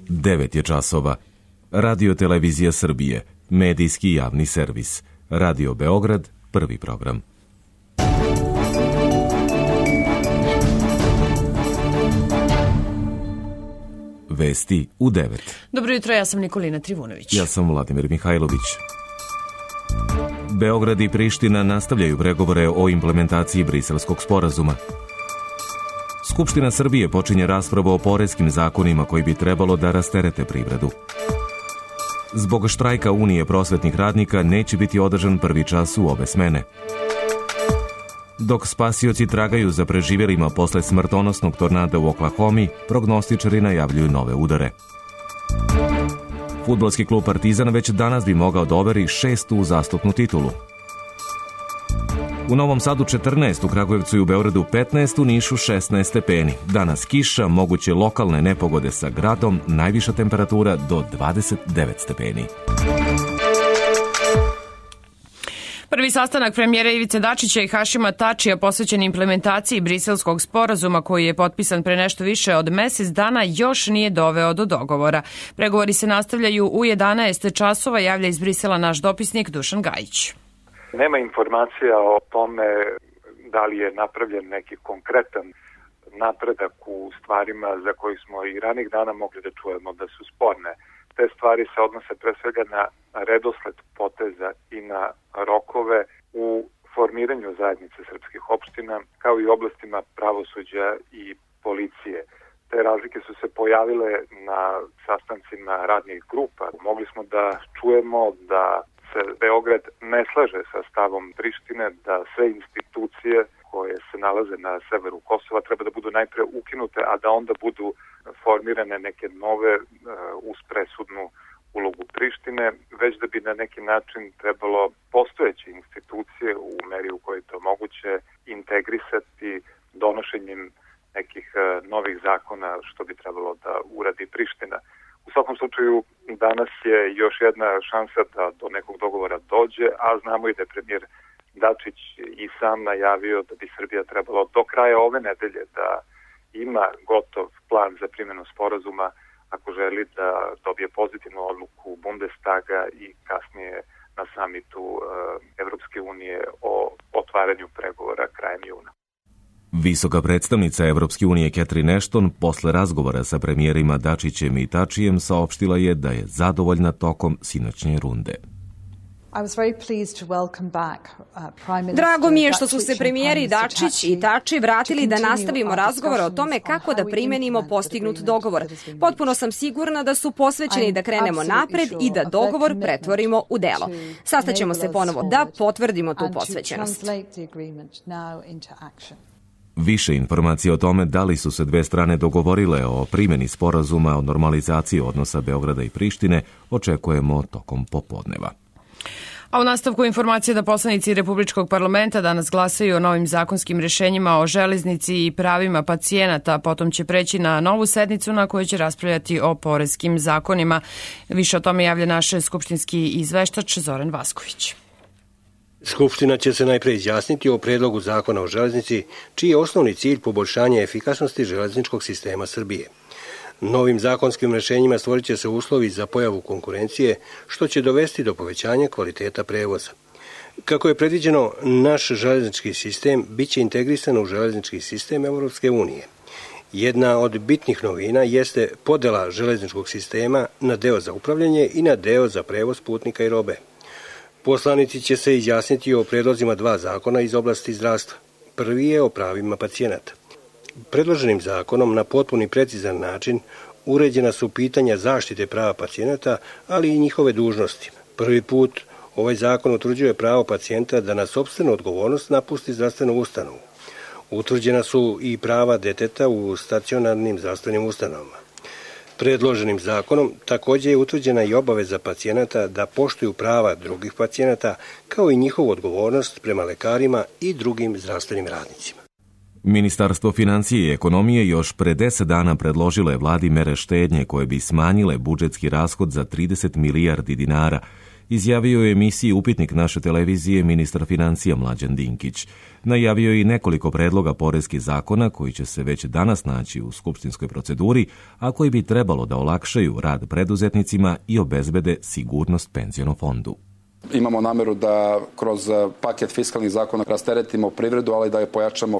9 je časova. Radio Televizija Srbije, medijski javni servis. Radio Beograd, prvi program. Vesti u 9. Dobro jutro, ja sam Nikolina Trivunović. Ja sam Vladimir Mihajlović. Beograd i Priština nastavljaju pregovore o implementaciji Briselskog sporazuma. Skupština Srbije počinje raspravu o poreskim zakonima koji bi trebalo da rasterete privredu. Zbog štrajka Unije prosvetnih radnika neće biti održan prvi čas u obe smene. Dok spasioci tragaju za preživjelima posle smrtonosnog tornada u Oklahomi, prognostičari najavljuju nove udare. Fudbalski klub Partizan već danas bi mogao da overi 6. uzastopnu titulu. U Novom Sadu 14, u Kragujevcu i u Beogradu 15, u Nišu 16 stepeni. Danas kiša, moguće lokalne nepogode sa gradom, najviša temperatura do 29 stepeni. Prvi sastanak premijera Ivice Dačića i Hašima Tačija posvećen implementaciji Briselskog sporazuma koji je potpisan pre nešto više od mesec dana još nije doveo do dogovora. Pregovori se nastavljaju u 11 časova, javlja iz Brisela naš dopisnik Dušan Gajić. Nema informacija o tome da li je napravljen neki konkretan napredak u stvarima za koji smo i ranih dana mogli da čujemo da su sporne. Te stvari se odnose pre svega na redosled poteza i na rokove u formiranju zajednice srpskih opština, kao i oblastima pravosuđa i policije. Te razlike su se pojavile na sastancima radnih grupa. Mogli smo da čujemo da se Beograd ne slaže sa stavom Prištine, da sve institucije koje se nalaze na severu Kosova treba da budu najpre ukinute, a da onda budu formirane neke nove uz presudnu ulogu Prištine, već da bi na neki način trebalo postojeće institucije u meri u kojoj je to moguće integrisati donošenjem nekih novih zakona, što bi trebalo da uradi Priština. U svakom slučaju, danas je još jedna šansa da do nekog dogovora dođe, a znamo i da je premijer Dačić i sam najavio da bi Srbija trebalo do kraja ove nedelje da ima gotov plan za primjenu sporazuma ako želi da dobije pozitivnu odluku Bundestaga i kasnije na samitu Evropske unije o otvaranju pregovora krajem juna. Visoka predstavnica Evropske unije Catherine Ashton posle razgovora sa premijerima Dačićem i Tačijem saopštila je da je zadovoljna tokom sinoćnje runde. Drago mi je što su se premijeri Dačić i Tači vratili da nastavimo razgovor o tome kako da primenimo postignut dogovor. Potpuno sam sigurna da su posvećeni da krenemo napred i da dogovor pretvorimo u delo. Sastaćemo se ponovo da potvrdimo tu posvećenost. Više informacija o tome da li su se dve strane dogovorile o primjeni sporazuma o normalizaciji odnosa Beograda i Prištine očekujemo tokom popodneva. A u nastavku informacije da poslanici Republičkog parlamenta danas glasaju o novim zakonskim rešenjima o železnici i pravima pacijenata, potom će preći na novu sednicu na kojoj će raspravljati o poreskim zakonima. Više o tome javlja naš skupštinski izveštač Zoran Vasković. Skupština će se najpre izjasniti o predlogu zakona o železnici, čiji je osnovni cilj poboljšanje efikasnosti železničkog sistema Srbije. Novim zakonskim rešenjima stvorit će se uslovi za pojavu konkurencije, što će dovesti do povećanja kvaliteta prevoza. Kako je predviđeno, naš železnički sistem biće integrisan u železnički sistem Evropske unije. Jedna od bitnih novina jeste podela železničkog sistema na deo za upravljanje i na deo za prevoz putnika i robe. Poslanici će se izjasniti o predlozima dva zakona iz oblasti zdravstva. Prvi je o pravima pacijenata. Predloženim zakonom na potpuni i precizan način uređena su pitanja zaštite prava pacijenata, ali i njihove dužnosti. Prvi put ovaj zakon utvrđuje pravo pacijenta da na sopstvenu odgovornost napusti zdravstvenu ustanovu. Utvrđena su i prava deteta u stacionarnim zdravstvenim ustanovama. Predloženim zakonom također je utvrđena i obaveza pacijenata da poštuju prava drugih pacijenata, kao i njihovu odgovornost prema lekarima i drugim zdravstvenim radnicima. Ministarstvo financije i ekonomije još pre 10 dana predložilo je vladi mere štednje koje bi smanjile budžetski rashod za 30 milijardi dinara izjavio je emisiji Upitnik naše televizije ministar financija Mlađan Dinkić. Najavio je i nekoliko predloga poreskih zakona koji će se već danas naći u skupštinskoj proceduri, a koji bi trebalo da olakšaju rad preduzetnicima i obezbede sigurnost penzionom fondu. Imamo nameru da kroz paket fiskalnih zakona rasteretimo privredu, ali da je pojačamo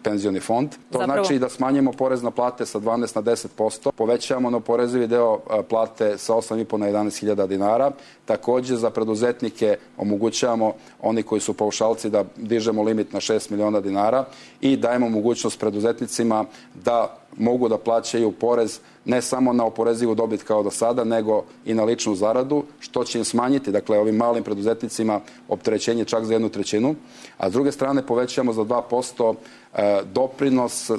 penzioni fond. To znači da smanjimo porez na plate sa 12 na 10%, povećamo neoporezivi deo plate sa 8,5 na 11.000 dinara. Takođe za preduzetnike omogućavamo, oni koji su paušalci, da dižemo limit na 6 miliona dinara i dajemo mogućnost preduzetnicima da mogu da plaćaju porez ne samo na oporezivu dobit kao do sada, nego i na ličnu zaradu, što će im smanjiti, dakle, ovim malim preduzetnicima opterećenje čak za 1/3, a s druge strane povećamo za 2% doprinos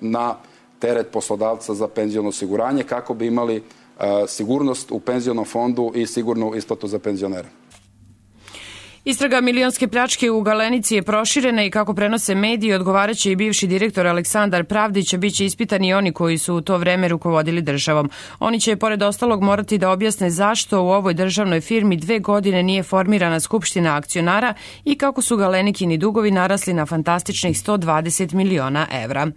na teret poslodavca za penziono osiguranje, kako bi imali sigurnost u penzionom fondu i sigurnu isplatu za penzionere. Istraga milionske pljačke u Galenici je proširena i kako prenose mediji, odgovaraće i bivši direktor Aleksandar Pravdić, a biće ispitani oni koji su u to vreme rukovodili državom. Oni će, pored ostalog, morati da objasne zašto u ovoj državnoj firmi 2 godine nije formirana skupština akcionara i kako su Galenikini dugovi narasli na fantastičnih 120 miliona evra.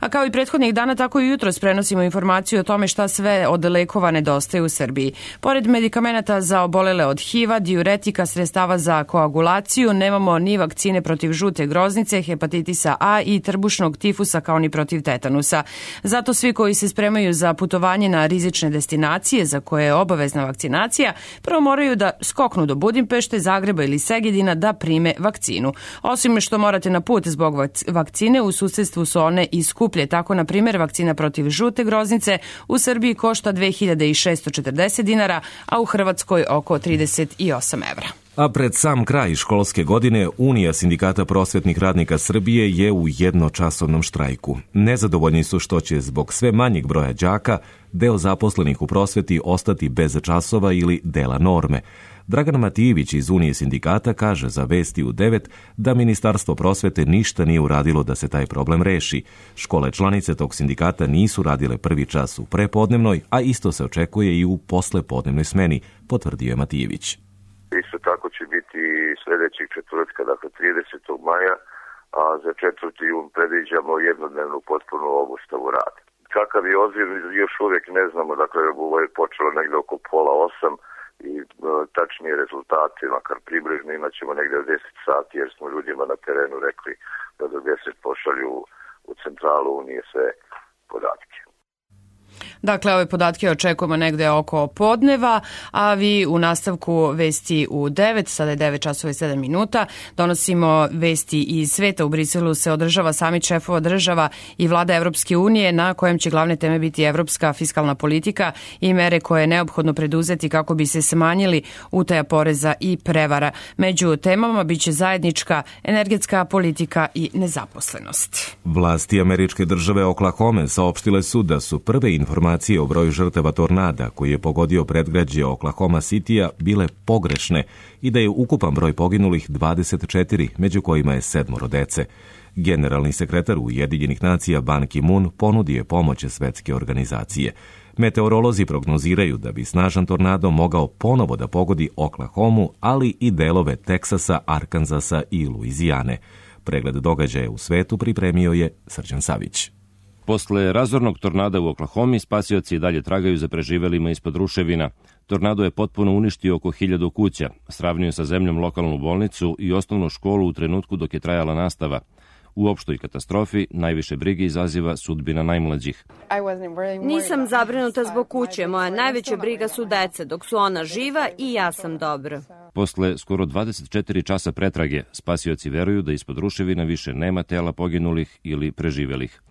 A kao i prethodnih dana, tako i jutros prenosimo informaciju o tome šta sve od lekova nedostaje u Srbiji. Pored medikamenata za obolele od HIV-a, diuretika, sredstava za koagulaciju, nemamo ni vakcine protiv žute groznice, hepatitisa A i trbušnog tifusa, kao ni protiv tetanusa. Zato svi koji se spremaju za putovanje na rizične destinacije za koje je obavezna vakcinacija, prvo moraju da skoknu do Budimpešte, Zagreba ili Segedina da prime vakcinu. Osim što morate na put zbog vakcine, u susedstvu su one i skuplje. Tako, na primjer, vakcina protiv žute groznice u Srbiji košta 2640 dinara, a u Hrvatskoj oko 38 evra. A pred sam kraj školske godine Unija sindikata prosvetnih radnika Srbije je u jednočasovnom štrajku. Nezadovoljni su što će zbog sve manjeg broja đaka deo zaposlenih u prosveti ostati bez časova ili dela norme. Dragan Matijević iz Unije sindikata kaže za Vesti u 9 da Ministarstvo prosvete ništa nije uradilo da se taj problem reši. Škole članice tog sindikata nisu radile prvi čas u prepodnevnoj, a isto se očekuje i u poslepodnevnoj smeni, potvrdio je Matijević. Isto tako će biti sljedećeg četvrtka, dakle 30. maja, a za 4. jun predviđamo jednodnevnu potpunu obustavu rada. Kakav je odziv, još uvijek ne znamo, dakle ovo je počelo negdje oko 7:30 i tačnije rezultate, makar približno, imat ćemo negdje od 10 sati, jer smo ljudima na terenu rekli da do 10 pošalju u centralu Unije sve podatke. Dakle, ove podatke očekujemo negde oko podneva, a vi u nastavku Vesti u 9, sada je 9 časova i 7 minuta, donosimo vesti iz sveta. U Briselu se održava samit šefova država i vlada Evropske unije, na kojem će glavne teme biti evropska fiskalna politika i mere koje je neophodno preduzeti kako bi se smanjili utaja poreza i prevara. Među temama biće zajednička energetska politika i nezaposlenost. Vlasti američke države Oklahome saopštile su da su prve informacije o broju žrtava tornada koji je pogodio predgrađe Oklahoma Citya bile pogrešne i da je ukupan broj poginulih 24, među kojima je 7 dece. Generalni sekretar Ujedinjenih nacija Ban Ki-moon ponudio je pomoć svetske organizacije. Meteorolozi prognoziraju da bi snažan tornado mogao ponovo da pogodi Oklahomu, ali i delove Teksasa, Arkanzasa i Luizijane. Pregled događaja u svetu pripremio je Srđan Savić. Posle razornog tornada u Oklahomi, spasioci i dalje tragaju za preživelima ispod ruševina. Tornado je potpuno uništio oko 1000 kuća, sravnio sa zemljom lokalnu bolnicu i osnovnu školu u trenutku dok je trajala nastava. U opštoj katastrofi najviše brige izaziva sudbina najmlađih. Nisam zabrinuta zbog kuće. Moja najveća briga su deca, dok su ona živa i ja sam dobro. Posle skoro 24 časa pretrage, spasioci veruju da ispod ruševina više nema tela poginulih ili preživelih.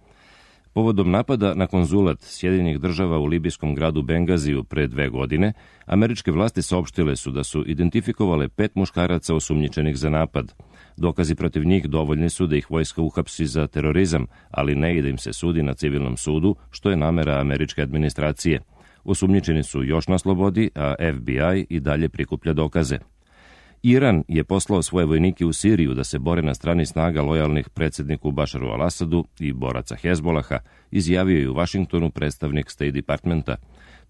Povodom napada na konzulat Sjedinjenih država u libijskom gradu Bengaziju pre 2 godine, američke vlasti saopštile su da su identifikovale 5 muškaraca osumnjičenih za napad. Dokazi protiv njih dovoljni su da ih vojska uhapsi za terorizam, ali ne i da im se sudi na civilnom sudu, što je namera američke administracije. Osumnjičeni su još na slobodi, a FBI i dalje prikuplja dokaze. Iran je poslao svoje vojnike u Siriju da se bore na strani snaga lojalnih predsjedniku Bašaru al-Asadu i boraca Hezbolaha, izjavio je u Vašingtonu predstavnik State Departmenta.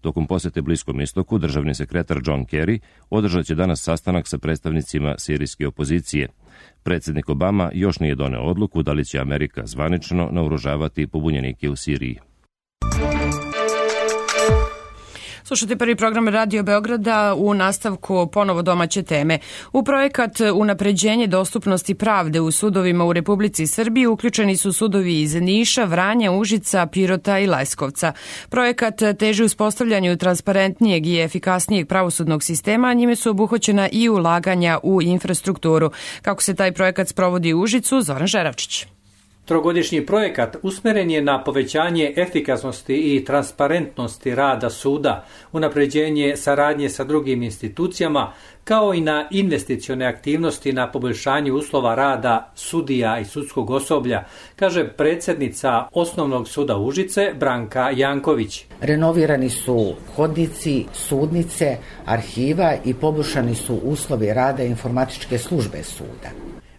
Tokom posete Bliskom istoku, državni sekretar John Kerry održat će danas sastanak sa predstavnicima sirijske opozicije. Predsjednik Obama još nije doneo odluku da li će Amerika zvanično naoružavati pobunjenike u Siriji. Slušajte prvi program Radio Beograda, u nastavku ponovo domaće teme. U projekat unapređenje dostupnosti pravde u sudovima u Republici Srbiji uključeni su sudovi iz Niša, Vranja, Užica, Pirota i Leskovca. Projekat teži uspostavljanju transparentnijeg i efikasnijeg pravosudnog sistema, a njime su obuhvaćena i ulaganja u infrastrukturu. Kako se taj projekat sprovodi u Užicu, Zoran Žeravčić. Trogodišnji projekat usmeren je na povećanje efikasnosti i transparentnosti rada suda, unapređenje saradnje sa drugim institucijama, kao i na investicione aktivnosti na poboljšanju uslova rada sudija i sudskog osoblja, kaže predsjednica Osnovnog suda Užice Branka Janković. Renovirani su hodnici, sudnice, arhiva i poboljšani su uslovi rada informatičke službe suda.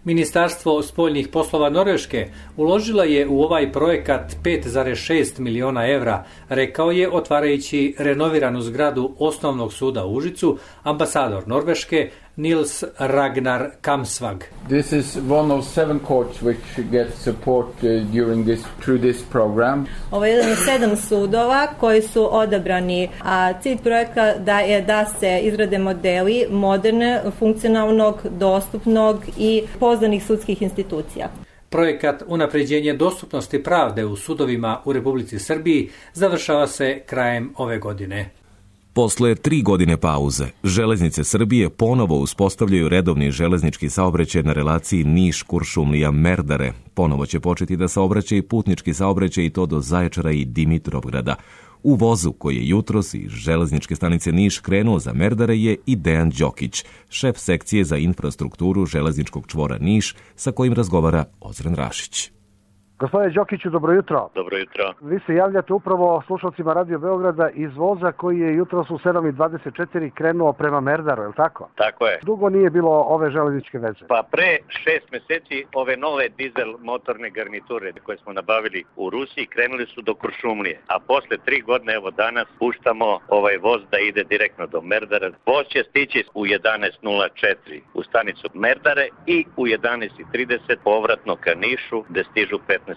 Ministarstvo spoljnih poslova Norveške uložila je u ovaj projekat 5,6 miliona evra, rekao je otvarajući renoviranu zgradu Osnovnog suda u Užicu ambasador Norveške Nils Ragnar Kamsvag. This is one of 7 courts which get support through this program. Ovo je jedan od 7 sudova koji su odabrani, a cilj projekta je da se izrade modeli moderne, funkcionalnog, dostupnog i pouzdanih sudskih institucija. Projekat unapređenje dostupnosti pravde u sudovima u Republici Srbiji završava se krajem ove godine. Posle 3 godine pauze, Železnice Srbije ponovo uspostavljaju redovni železnički saobraćaj na relaciji Niš-Kuršumlija-Merdare. Ponovo će početi da saobraća i putnički saobraćaj i to do Zaječara i Dimitrovgrada. U vozu koji je jutros iz železničke stanice Niš krenuo za Merdare je i Dejan Đokić, šef sekcije za infrastrukturu železničkog čvora Niš, sa kojim razgovara Ozren Rašić. Gospodine Đokiću, dobro jutro. Dobro jutro. Vi se javljate upravo slušalcima Radio Beograda iz voza koji je jutros u 7:24 krenuo prema Merdaru, je li tako? Tako je. Dugo nije bilo ove železničke veze? Pa pre 6 meseci ove nove dizel motorne garniture koje smo nabavili u Rusiji krenuli su do Kuršumlije, a posle 3 godine, evo danas, puštamo ovaj voz da ide direktno do Merdara. Voz će stići u 11:04 u stanicu Merdare i u 11:30 povratno ka Nišu, gde stižu 15:34.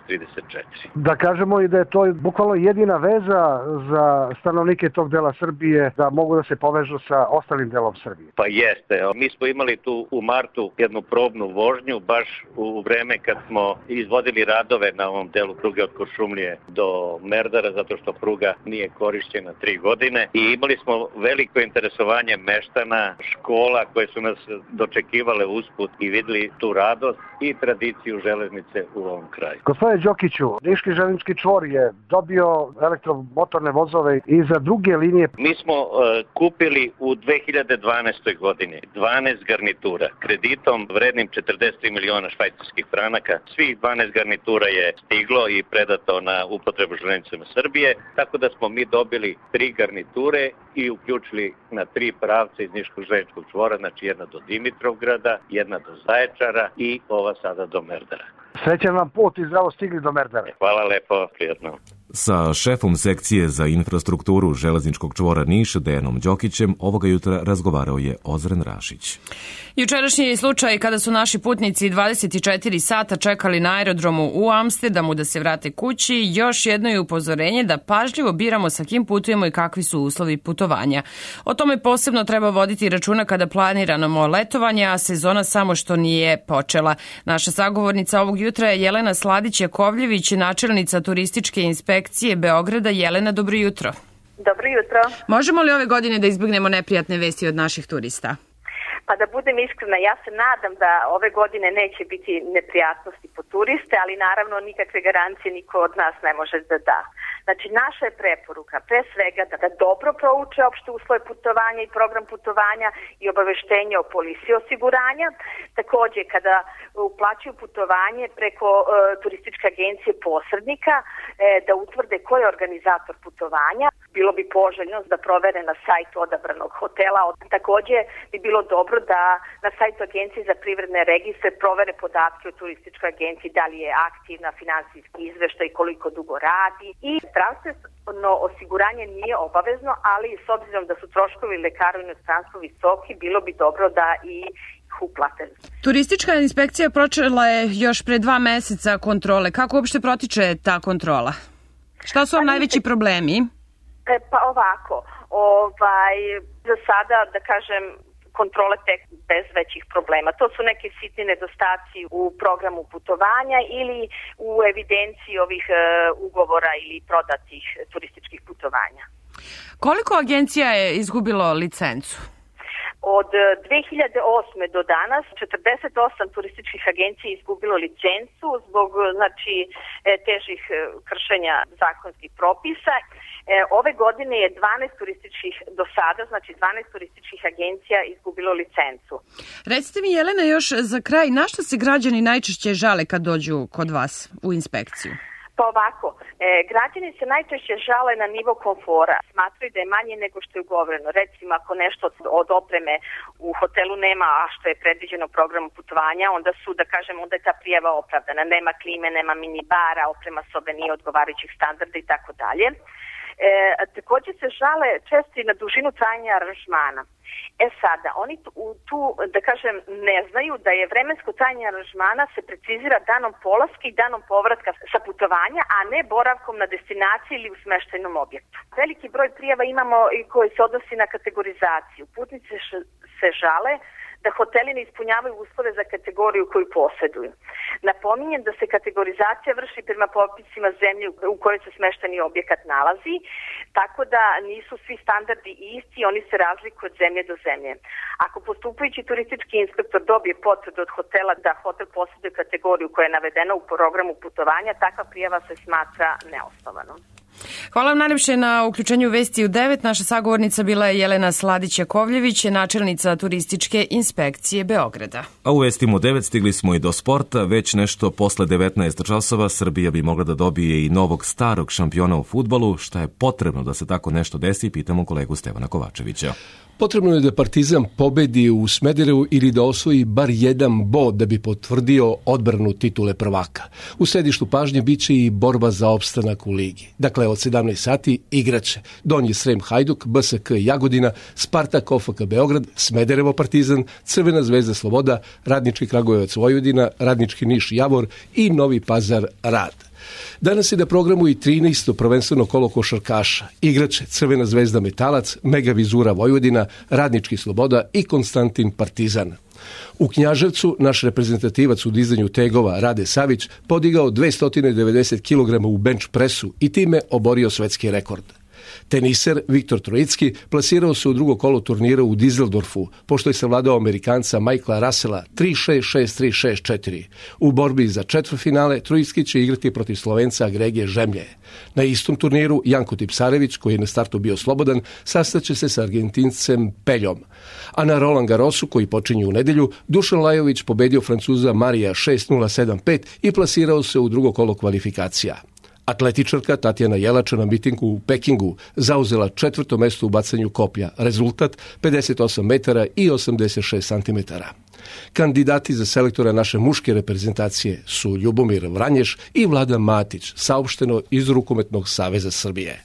Da kažemo i da je to bukvalno jedina veza za stanovnike tog dela Srbije da mogu da se povežu sa ostalim delom Srbije. Pa jeste. Mi smo imali tu u martu jednu probnu vožnju baš u vreme kad smo izvodili radove na ovom delu pruge od Kuršumlije do Merdara zato što pruga nije korišćena 3 godine i imali smo veliko interesovanje meštana, škola koje su nas dočekivale usput i videli tu radost i tradiciju železnice u ovom kraju. Gospodine Đokiću, Niški železnički čvor je dobio elektromotorne vozove i za druge linije. Mi smo kupili u 2012. godini 12 garnitura kreditom vrednim 43 miliona švajcarskih franaka. Svih 12 garnitura je stiglo i predato na upotrebu železnicama Srbije, tako da smo mi dobili 3 garniture i uključili na 3 pravca iz Niškog železničkog čvora, znači jedna do Dimitrovgrada, jedna do Zaječara i ova sada do Merdara. Srećan vam put i zdravo stigli do Merdare. Hvala lepo, prijatno. Sa šefom sekcije za infrastrukturu železničkog čvora Niš, Dejanom Đokićem, ovoga jutra razgovarao je Ozren Rašić. Jučerašnji je slučaj kada su naši putnici 24 sata čekali na aerodromu u Amsterdamu da se vrate kući, još jedno je upozorenje da pažljivo biramo sa kim putujemo i kakvi su uslovi putovanja. O tome posebno treba voditi računa kada planiramo letovanje, a sezona samo što nije počela. Naša sagovornica ovog jutra je Jelena Sladić-Jakovljević, načelnica turističke inspekcije Beograda. Jelena, dobro jutro. Dobro jutro. Možemo li ove godine da izbjegnemo neprijatne vesti od naših turista? Pa da budem iskrena, ja se nadam da ove godine neće biti neprijatnosti po turiste, ali naravno nikakve garancije niko od nas ne može da da. Znači, naša je preporuka pre svega da dobro prouče opšte uslove putovanja i program putovanja i obaveštenje o polisi osiguranja. Takođe, kada uplaćuju putovanje preko turističke agencije posrednika, da utvrde ko je organizator putovanja, bilo bi poželjno da provere na sajtu odabranog hotela. Takođe bi bilo dobro da na sajtu Agencije za privredne registre provere podatke o turističkoj agenciji, da li je aktivna, finansijski izveštaj, koliko dugo radi. I zdravstveno osiguranje nije obavezno, ali s obzirom da su troškovi lekara u inostranstvu visoki, bilo bi dobro da i uplate. Turistička inspekcija počela je još pre 2 meseca kontrole. Kako uopšte protiče ta kontrola? Šta su vam najveći problemi? Pa ovako, za sada, da kažem, kontrole tek bez većih problema. To su neke sitni nedostaci u programu putovanja ili u evidenciji ovih ugovora ili prodatih turističkih putovanja. Koliko agencija je izgubilo licencu? Od 2008. do danas 48 turističkih agencija je izgubilo licencu zbog težih kršenja zakonskih propisa. Ove godine je 12 turističkih do sada, 12 turističkih agencija izgubilo licencu. Recite mi, Jelena, još za kraj, na što se građani najčešće žale kad dođu kod vas u inspekciju? Pa ovako, građani se najčešće žale na nivo komfora. Smatraju da je manje nego što je ugovoreno. Recimo, ako nešto od opreme u hotelu nema, a što je predviđeno programom putovanja, onda je ta prijava opravdana. Nema klime, nema minibara, oprema sobe nije odgovarajućih standarda i tako dalje. Također se žale često i na dužinu trajanja aranžmana. Sada, oni tu, da kažem, ne znaju da je vremensko trajanje aranžmana se precizira danom polaska i danom povratka sa putovanja, a ne boravkom na destinaciji ili u smeštajnom objektu. Veliki broj prijava imamo i koji se odnosi na kategorizaciju. Putnici se žale da hoteli ne ispunjavaju uslove za kategoriju koju posjeduju. Napominjem da se kategorizacija vrši prema popisima zemlje u kojoj se smešteni objekat nalazi, tako da nisu svi standardi isti, oni se razlikuju od zemlje do zemlje. Ako postupajući turistički inspektor dobije potvrdu od hotela da hotel posjeduje kategoriju koja je navedena u programu putovanja, takva prijava se smatra neosnovanom. Hvala vam najlepše na uključenju u Vesti u 9. Naša sagovornica bila je Jelena Sladić-Jakovljević, načelnica turističke inspekcije Beograda. A u Vestima u 9 stigli smo i do sporta. Već nešto posle 19 časova Srbija bi mogla da dobije i novog starog šampiona u fudbalu. Šta je potrebno da se tako nešto desi, pitamo kolegu Stevana Kovačevića. Potrebno je da Partizan pobedi u Smederevu ili da osvoji bar jedan bod da bi potvrdio odbranu titule prvaka. U središtu pažnje biće i borba za opstanak u ligi. Dakle, od 17 sati igraće Donji Srem Hajduk, BSK Jagodina, Spartak OFK Beograd, Smederevo Partizan, Crvena zvezda Sloboda, Radnički Kragujevac Vojvodina, Radnički Niš Javor i Novi Pazar Rad. Danas je na programu i 13. prvenstveno kolo košarkaša. Igraće Crvena zvezda Metalac, Mega Vizura Vojvodina, Radnički Sloboda i Konstantin Partizan. U Knjaževcu naš reprezentativac u dizanju tegova Rade Savić podigao 290 kg u bench presu i time oborio svetski rekord. Teniser Viktor Trojicki plasirao se u drugo kolo turnira u Dizeldorfu, pošto je savladao Amerikanca Michaela Russella 3-6, 6-3, 6-4. U borbi za četvrtfinale Trojicki će igrati protiv Slovenca Gregije Žemlje. Na istom turniru Janko Tipsarević, koji je na startu bio slobodan, sastaće se sa Argentincem Peljom. A na Roland Garrosu, koji počinje u nedelju, Dušan Lajović pobedio Francuza Marija 6-0, 7-5 i plasirao se u drugo kolo kvalifikacija. Atletičarka Tatjana Jelača na mitingu u Pekingu zauzela 4. mesto u bacanju koplja. Rezultat 58 metara i 86 centimetara. Kandidati za selektora naše muške reprezentacije su Ljubomir Vranješ i Vladan Matić, saopšteno iz Rukometnog saveza Srbije.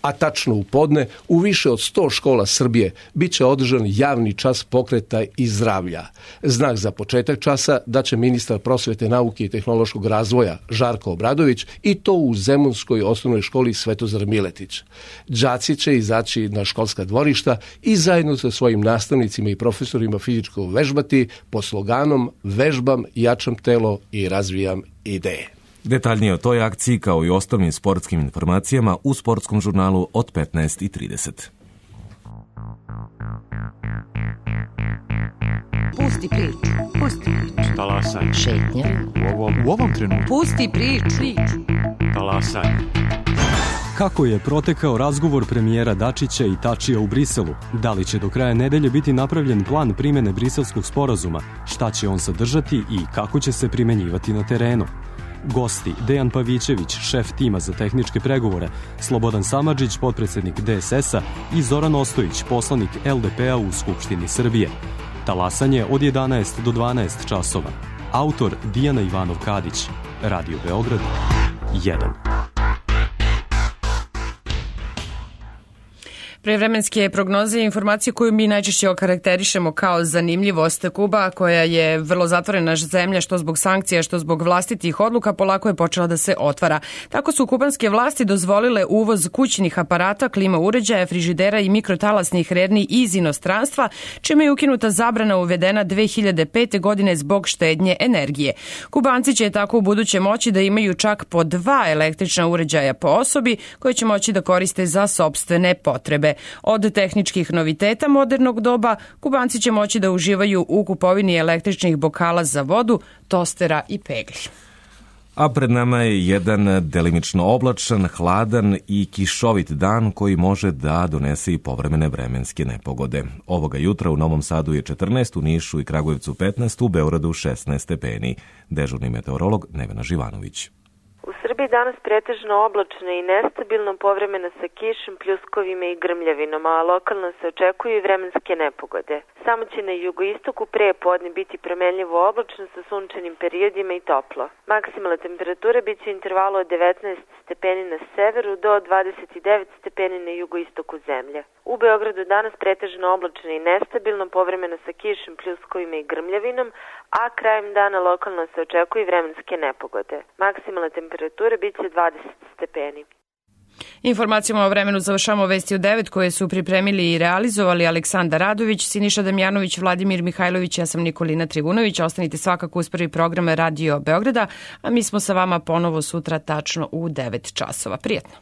A tačno u podne, u više od 100 škola Srbije biće održan javni čas pokreta i zdravlja. Znak za početak časa daće ministar prosvete, nauke i tehnološkog razvoja Žarko Obradović i to u Zemunskoj osnovnoj školi Svetozar Miletić. Đaci će izaći na školska dvorišta i zajedno sa svojim nastavnicima i profesorima fizičko vežbati po sloganom "Vežbam, jačam telo i razvijam ideje". Detaljnije o toj akciji kao i ostalim sportskim informacijama u sportskom žurnalu od 15:30. Pusti priču. Pusti priču. Talasaj. Šetnja. U ovom trenutku. Pusti priču. Talasaj. Kako je protekao razgovor premijera Dačića i Tačija u Briselu? Da li će do kraja nedelje biti napravljen plan primjene briselskog sporazuma? Šta će on sadržati i kako će se primenjivati na terenu? Gosti Dejan Pavićević, šef tima za tehničke pregovore, Slobodan Samardžić, potpredsednik DSS-a i Zoran Ostojić, poslanik LDP-a u Skupštini Srbije. Talasanje od 11 do 12 časova. Autor Dijana Ivanov-Kadić. Radio Beograd 1. Prevremenske prognoze i informacije koju mi najčešće okarakterišemo kao zanimljivost. Kuba, koja je vrlo zatvorena zemlja što zbog sankcija, što zbog vlastitih odluka, polako je počela da se otvara. Tako su kubanske vlasti dozvolile uvoz kućnih aparata, klima uređaja, frižidera i mikrotalasnih rerni iz inostranstva, čime je ukinuta zabrana uvedena 2005. godine zbog štednje energije. Kubanci će tako u buduće moći da imaju čak po 2 električna uređaja po osobi koje će moći da koriste za sopstvene potrebe. Od tehničkih noviteta modernog doba, Kubanci će moći da uživaju u kupovini električnih bokala za vodu, tostera i pegli. A pred nama je jedan delimično oblačan, hladan i kišovit dan koji može da donese i povremene vremenske nepogode. Ovoga jutra u Novom Sadu je 14, u Nišu i Kragujevcu 15, u Beogradu 16 stepeni. Dežurni meteorolog Nevena Živanović. U Srbiji danas pretežno oblačno i nestabilno, povremeno sa kišom, pljuskovima i grmljavinom, a lokalno se očekuju i vremenske nepogode. Samo će na jugoistoku pre podne biti promenljivo oblačno sa sunčanim periodima i toplo. Maksimalna temperatura biće u intervalu od 19 stepeni na severu do 29 stepeni na jugoistoku zemlje. U Beogradu danas pretežno oblačno i nestabilno, povremeno sa kišom, pljuskovima i grmljavinom, a krajem dana lokalno se očekuju i vremenske nepogode. Maksimalna temperatura biće 20 stepeni. Informacijama o vremenu završamo vesti u 9 koje su pripremili i realizovali Aleksandar Radović, Siniša Damjanović, Vladimir Mihajlović, ja sam Nikolina Trivunović. Ostanite svakako uz prvi program Radio Beograda, a mi smo sa vama ponovo sutra tačno u 9 časova. Prijetno!